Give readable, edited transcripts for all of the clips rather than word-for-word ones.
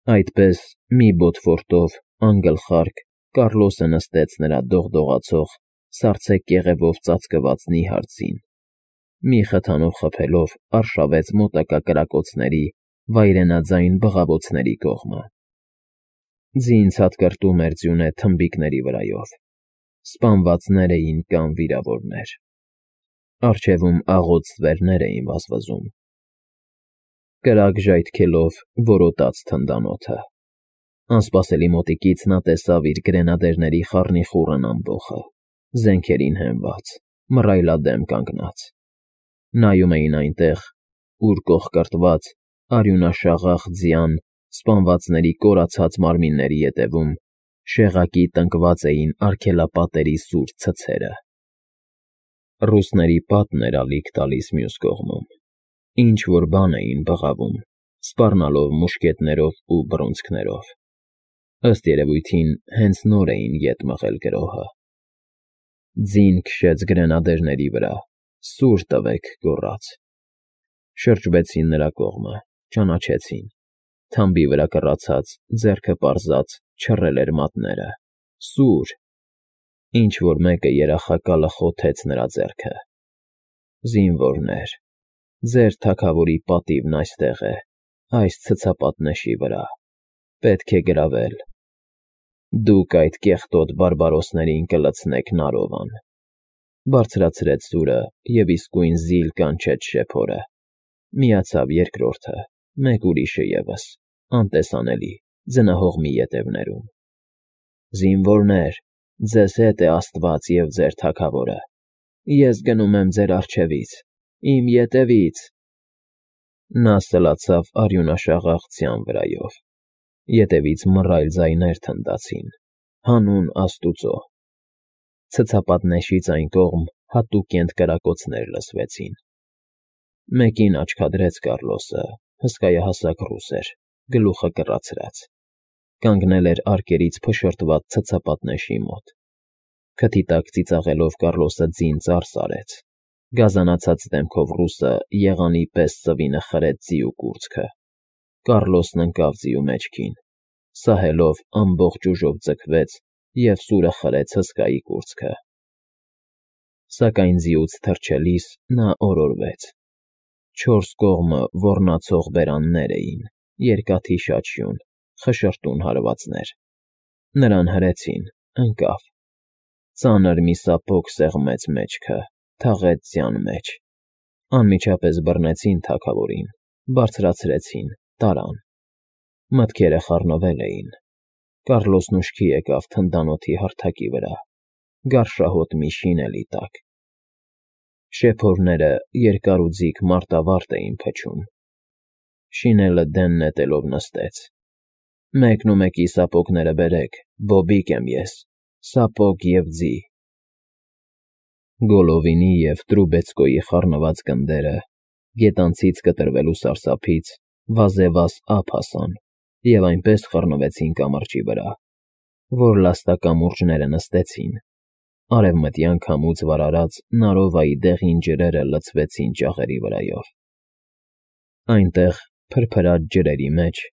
Այդպես մի բոթվորտով, անգլխարկ, Կառլոսը նստեց նրա դողդողացող, սառցե կեղևով ծածկված նիհար ձին, մի խթանով խփելով արշավեց մոտակա կրակոցների վայրենաձայն բղավոցների կողմը։ Ձին ցատկրտում էր ձյունե թմբիկների վրայով, սպանվածներ էին կամ վիրավորներ։ Առջևում աղոտ ստվերներ էին վազվզում։ Կրակ ժայթքելով որոտաց թնդանոթը։ Անսպասելի մոտիկից նա տեսավ իր գրենադերների խառնիխուռն ամբոխը, զենքերին հենված, մռայլադեմ կանգնած։ Նայում էին այնտեղ, ուր կողկրտված, արյունաշաղախ ձյան սպանվածների կորացած մարմինների ետևում շեղակի տնկված էին արգելապատերի սուր ցցերը։ Ռուսների պատն էր ալիք տալիս մյուս կողմում, ինչ֊որ բան էին բղավում, սպառնալով մուշկետներով ու բռունցքներով։ Ըստ երևույթին, հենց նոր էին ետ մղել գրոհը։ Ձին քշեց գրենադերների վրա, սուր տվեք գոռաց։ Շրջվեցին նրա կողմը, ճանաչեցին։ Թամբի վրա կռացած, ձեռքը պարզած չռել էր մատները, սուր։ Ինչ֊որ մեկը երախակալը խոթեց նրա ձեռքը։ Զինվորներ, ձեր թագավորի պատիվն այստեղ է, այս ցցապատնեշի վրա, պետք է գրավել։ Դուք այդ կեղտոտ բարբարոսներին կլցնեք Նարովան։ Բարձրացրեց սուրը և իսկույն զիլ կանչեց շեփորը։ Միացավ երկրորդը, մեկ ուրիշը ևս, անտեսանելի, ձնահող մի ետևներում։ Զինվորներ, ձեզ հետ է Աստված և ձեր թագավորը։ Ես գնում եմ ձեր առջևից, իմ ետևից։ Նա սլացավ արյունաշաղախ ձյան վրայով։ Ետևից մռայլ ձայներ թնդացին. հանուն Աստուծո։ Ցցապատնեշից այն կողմ հատուկենտ կրակոցներ լսվեցին։ Մեկին աչքադրեց Կառլոսը, հսկայահասակ ռուս էր, գլուխը կռացրած։ Կանգնել էր արկերից փշրտված ցցապատնեշի մոտ։ Քթի տակ ծիծաղելով Կառլոսը ձին ծարս արեց։ Գազանացած դեմքով ռուսը եղանի պես ծվինը խրեց ձիու կուրծքը։ Կառլոսն ընկավ ձիու մեջքին, սահելով ամբողջ ուժով ձգվեց և սուրը խրեց հսկայի կուրծքը։ Սակայն ձիուց թռչելիս նա օրորվեց։ Չորս կողմը ոռնացող բերաններ էին, երկաթի շաչյուն, խշրտուն հարվածներ։ Նրան հրեցին, ընկավ։ Ծանր մի սապոգ սեղմեց մեջքը, թաղեց ձյան մեջ։ Անմիջապես բռնեցին թագավորին, բարձրացրեցին, տարան։ Մտքերը խառնվել էին։ Կառլոսն ուշքի եկավ թնդանոթի հարթակի վրա, գարշահոտ մի շինելի տակ։ Շեփորները երկար ու ձիգ մարտավարտ էին փչում։ Շինելը դեն նետելով նստեց։ Մեկնումեկի սապոգները բերեք, բոբիկ եմ ես, սապոգ և ձի։ Գոլովինի և Տրուբեցկոյի խառնված գնդերը, գետանցից կտրվելու սարսափից, վազևազ ափ հասան և այնպես խռնվեցին կամրջի վրա, որ լաստակամուրջները նստեցին, արևմտյան քամուց վարարած Նարովայի դեղին ջրերը լցվեցին ճաղերի վրայով։ Այնտեղ, փրփրած ջրերի մեջ,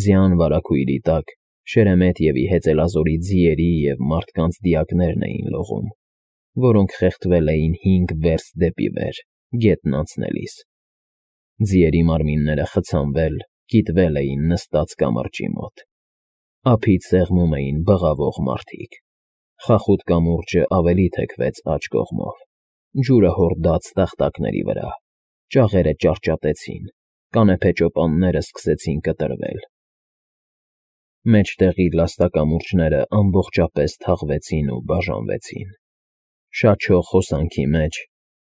ձյան վարագույրի տակ, Շերեմետևի հեծելազորի ձիերի և մարդկանց դիակներն էին լողում, որոնք խեղդվել էին 5 վերստ դեպի վեր, գետն անցնելիս։ Ձիերի մարմինները խցանվել, կիտվել էին նստած կամրջի մոտ։ Ափից սեղմում էին բղավող մարդիկ։ Խախուտ կամուրջը ավելի թեքվեց աջ կողմով։ Ջուրը հորդաց տախտակների վրա։ Ճաղերը ճարճատեցին, կանեփե ճոպանները սկսեցին կտրվել։ Մեջտեղի լաստակամուրջները ամբողջապես թաղվեցին ու բաժանվեցին։ Շաչող հոսանքի մեջ,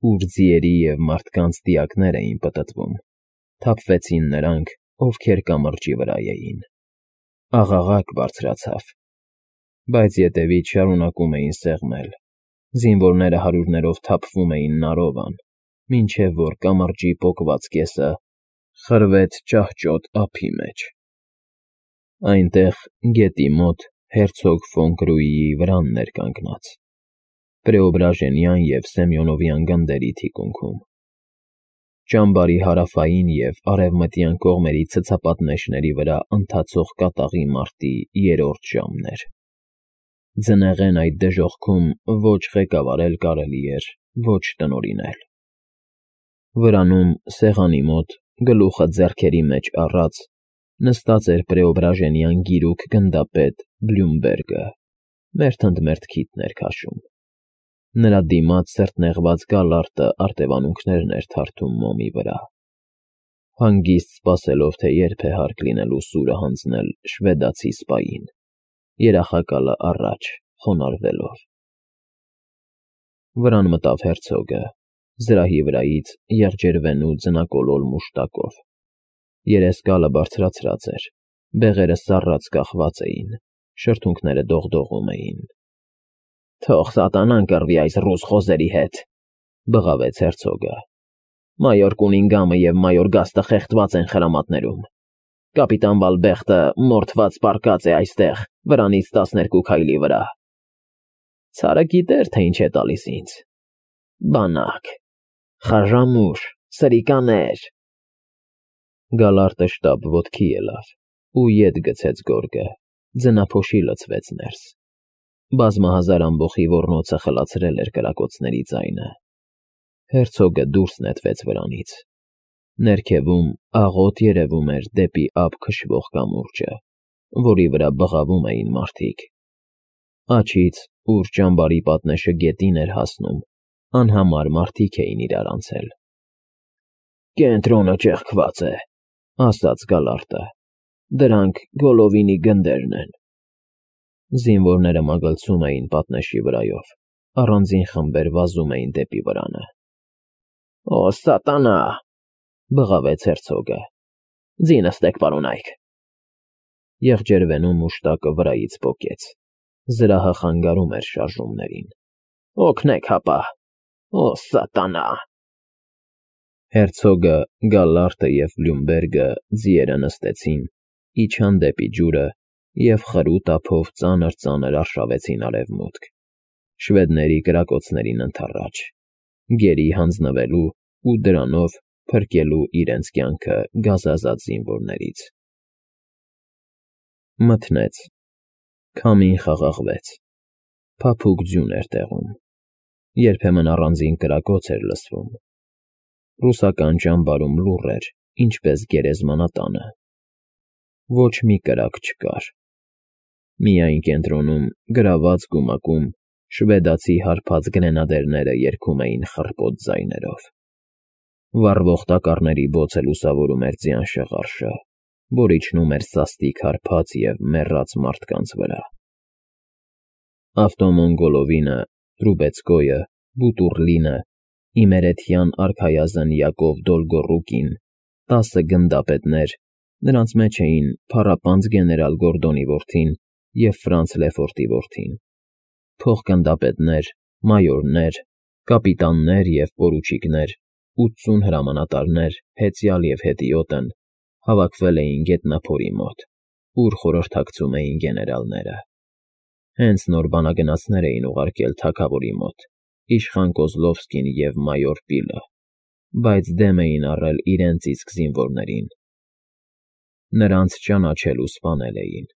ուր ձիերի և մարդկանց դիակներ էին պտտվում, թափվեցին նրանք, ովքեր կամրջի վրա էին։ Աղաղակ բարձրացավ։ Բայց ետևից շարունակում էին սեղմել։ Զինվորները հարյուրներով թափվում էին Նարովան, մինչև որ կամրջի պոկված կեսը խրվեց ճահճոտ ափի մեջ։ Այնտեղ, գետի մոտ, հերցոգ ֆոն Կրուիի վրանն էր կանգնած, Պրեոբրաժենյան և Սեմյոնովյան գնդերի թիկունքում։ Ճամբարի հարավային և արևմտյան կողմերի ցցապատնեշների վրա ընթացող կատաղի մարտի երրորդ ժամն էր։ Ձնեղեն այդ դժոխքում ոչ ղեկավարել կարելի էր, ոչ տնօրինել։ Վրանում, սեղանի մոտ, գլուխը ձեռքերի մեջ առած, նստած էր Պրեոբրաժենյան գիրուկ գնդապետ Բլյումբերգը, մերթ ընդ մերթ քիթն էր քաշում։ Նրա դիմաց սրտնեղված Գալարտը արտևանունքներն էր թարթում մոմի վրա, հանգիստ սպասելով, թե երբ է հարկ լինելու սուրը հանձնել շվեդացի սպային, երախակալը առաջ, խոնարհվելով։ Վրան մտավ հերցոգը, զրահի վրայից եղջերվենու ձնակոլոլ մուշտակով։ Երեսկալը բարձրացրած էր, բեղերը սառած կախված էին, շրթունքները դողդողում էին։ «Թող սատանան կռվի այս ռուս խոզերի հետ,֊ բղավեց հերցոգը։ «Մայոր Կունինգհամը և մայոր Գաստը խեղդված են խրամատներում։ Կապիտան Վալբեխտը մորթված պառկած է այստեղ, վրանից 12 քայլի վրա։ Ցարը գիտեր, թե ինչ է տալիս ինձ. բանակ, խաժամուշ, սրիկաներ»։ Գալարտը շտապ ոտքի ելավ ու ետ գցեց գորգը, ձնափոշի լցվեց ներս։ Բազմահազար ամբոխի ոռնոցը խլացրել էր կրակոցների ձայնը։ Հերցոգը դուրս նետվեց վրանից։ Ներքևում աղոտ երևում էր դեպի ափ քշվող կամուրջը, որի վրա բղավում էին մարդիկ։ Աջից, ուր ճամբարի պատնեշը գետին էր հասնում, անհամար մարդիկ էին իրար անցել։ «Կենտրոնը ճեղքված է,֊ ասաց Գալարտը։ «Դրանք Գոլովինի գնդերն են»։ Զինվորները մագլցում էին պատնեշի վրայով, առանձին խմբեր վազում էին դեպի վրանը։ «Օ, սատանա,֊ բղավեց հերցոգը,֊ ձինը ստեք, պարոնայք»։ Եղջերվենու մուշտակը վրայից պոկեց, զրահը խանգարում էր շարժումներին։ «Օգնեք հապա, օ, սատանա»։ Հերցոգը, Գալարտը և Բլյումբերգը ձիերը նստեցին, իջան դեպի ջուրը և խրուտ ափով ծանր արշավեցին արևմուտք, շվեդների կրակոցներին ընդառաջ, գերի հանձնվելու ու դրանով փրկելու իրենց կյանքը գազազած զինվորներից։ Մթնեց, քամին խաղաղվեց, փափուկ ձյուն էր տեղում, երբեմն առանձին կրակոց էր լսվում։ Ռուսական ճամբարում լուռ էր, ինչպես գերեզմանատանը։ Ոչ մի կրակ չկար։ Միայն կենտրոնում, գրաված գումակում, շվեդացի հարբած գրենադերները երգում էին խռպոտ ձայներով։ Վառվող տակառների բոցը լուսավորում էր ձյան շղարշը, որ իջնում էր սաստիկ հարբած և մեռած մարդկանց վրա։ Ավտոմոնգոլովինը, Տրուբեցկոյը, Բուտուռլինը, իմերեթյան արքայազն Յակով Դոլգոռուկին, 10 գնդապետներ, նրանց մեջ էին փառապանծ գեներալ Գորդոնի որդին և Ֆրանց Լեֆորտի որդին, փոխգնդապետներ, մայորներ, կապիտաններ և պորուչիկներ, 80 հրամանատարներ, հեծյալ և հետիոտն հավաքվել էին գետնափորի մոտ, ուր խորհրդակցում էին գեներալները։ Հենց նոր բանագնացներ էին ուղարկել թագավորի մոտ, իշխան Կոզլովսկին և մայոր Պիլը, բայց դեմ էին առել իրենց իսկ զինվորներին։ Նրանց ճանաչել ու սպանել էին։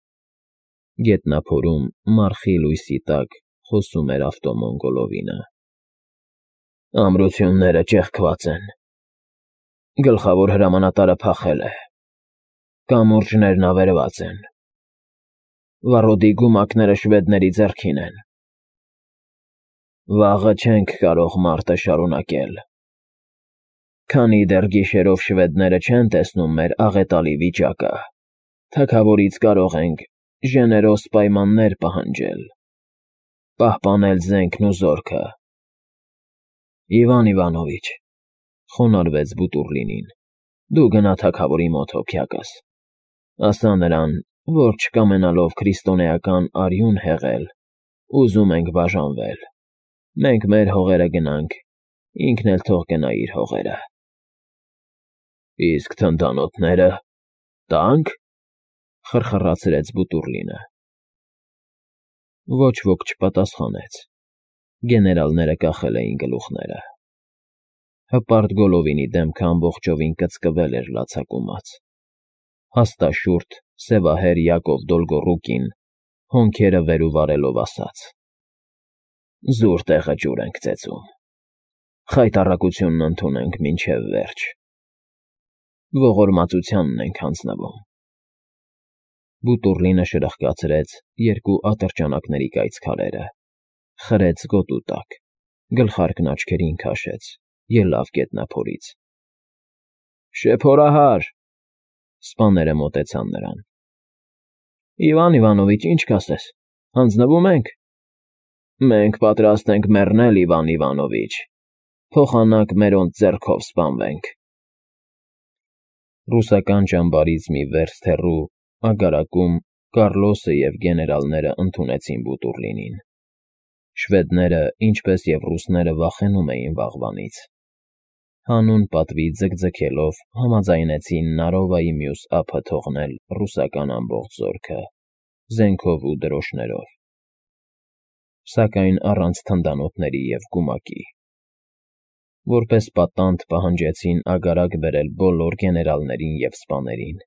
Գետնափորում, մառխի լույսի տակ, խոսում էր ավտոմոնգոլովինը։ «Ամրությունները ճեղքված են։ Գլխավոր հրամանատարը փախել է։ Կամուրջներն ավերված են։ Վառոդի գումակները շվեդների ձեռքին են։ Վաղը չենք կարող մարտը շարունակել։ Քանի դեռ գիշերով շվեդները չեն տեսնում մեր աղետալի վիճակը, թագավորից կարող ենք ժեներոս պայմաններ պահանջել, պահպանել զենքն ու զորքը»։ «Իվան Իվանովիչ,֊ խոնարհվեց Բուտուռլինին,֊ դու գնա թագավորի մոտ հոգյակս, ասա նրան, որ չկամենալով քրիստոնեական արյուն հեղել, ուզում ենք բաժանվել։ Մենք մեր հողերը գնանք, ինքն էլ թող գնա իր հողերը»։ «Իսկ թնդանոթները տա՞նք,֊ խրխռացրեց Բուտուռլինը։ Ոչ ոք չպատասխանեց։ Գեներալները կախել էին գլուխները։ Հպարտ Գոլովինի դեմքը ամբողջովին կծկվել էր լացակումած։ Հաստաշուրթ, սևահեր Յակով Դոլգոռուկին հոնքերը վեր ու վարելով ասաց. «Զուր տեղը ջուր ենք ծեծում, խայտառակությունն ընդունենք մինչև վերջ, ողորմածությանն ենք հանձնվում»։ Բուտուռլինը շրխկացրեց երկու ատրճանակների կայծ քարերը, խրեց գոտու տակ, գլխարկն աչքերին քաշեց, ելավ գետնափորից։ «Շեփորահար», սպաները մոտեցան նրան։ «Իվան Իվանովիչ, ինչ կասես, հանձնվո՞ւմ ենք»։ «Մենք պատրաստ ենք մեռնել, Իվան Իվանովիչ, փոխանակ մերոնց ձեռքով սպանվենք»։ Ռուսական ճամբարից մի վերստ հեռու ագարակում Կառլոսը և գեներալները ընդունեցին Բուտուռլինին։ Շվեդները, ինչպես և ռուսները, վախենում էին վաղվանից։ Հանուն պատվի ձգձգելով համաձայնեցին Նարովայի մյուս ափը թողնել ռուսական ամբողջ զորքը, զենքով ու դրոշներով, սակայն առանց թնդանոթների և գումակի։ Որպես պատանդ պահանջեցին ագարակ բերել բոլոր գեներալներին և սպաներին,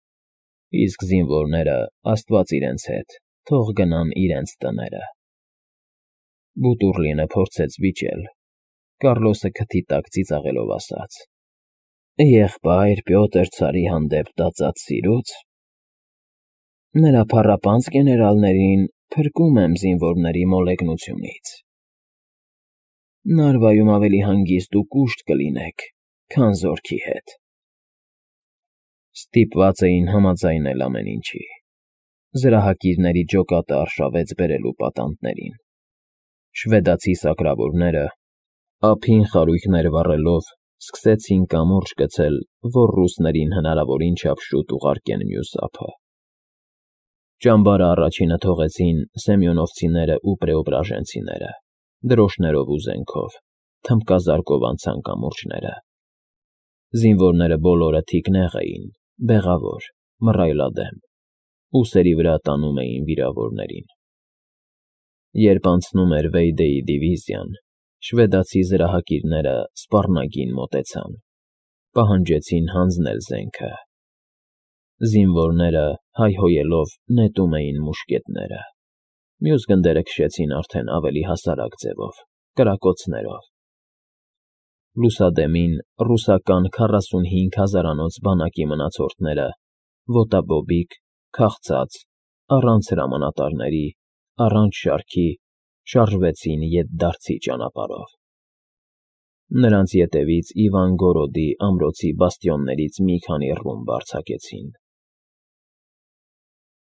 իսկ զինվորները, աստված իրենց հետ, թող գնան իրենց տները։ Բուտուռլինը փորձեց վիճել, Կառլոսը քթի տակ ծիծաղելով ասաց. «Եղբայր Պյոտր ցարի հանդեպ տածած սիրուց նրա փառապանծ գեներալներին փրկում եմ զինվորների մոլեգնությունից։ Նարվայում ավելի հանգիստ ու կուշտ կլինեք, քան զորքի հետ»։ Ստիպված էին համաձայնել ամեն ինչի։ Զրահակիրների ջոկատը արշավեց բերելու պատանդներին։ Շվեդացի սակրավորները, ափին խարույկներ վառելով, սկսեցին կամուրջ գցել, որ ռուսներին հնարավորին չափ շուտ ուղարկեն մյուս ափը։ Ճամբարը առաջինը թողեցին սեմյոնովցիներն ու պրեոբրաժենցիները, դրոշներով ու զենքով, թմբկազարկով անցան կամուրջները։ Զինվորները բոլորը թիկնեղ էին, բեղավոր, մռայլադեմ, ուսերի վրա տանում էին վիրավորներին։ Երբ անցնում էր Վեյդեի դիվիզիան, շվեդացի զրահակիրները սպառնագին մոտեցան, պահանջեցին հանձնել զենքը։ Զինվորները, հայհոյելով, նետում էին մուշկետները, մյուս գնդերը քշեցին արդեն ավելի հասարակ ձևով, կրակոցներով։ Լուսադեմին ռուսական 45 հազարանոց բանակի մնացորդները, ոտաբոբիկ, քաղցած, առանց հրամանատարների, առանց շարքի, շարժվեցին ետդարձի ճանապարհով։ Նրանց ետևից Իվանգորոդի ամրոցի բաստիոններից մի քանի ռումբ արձակեցին։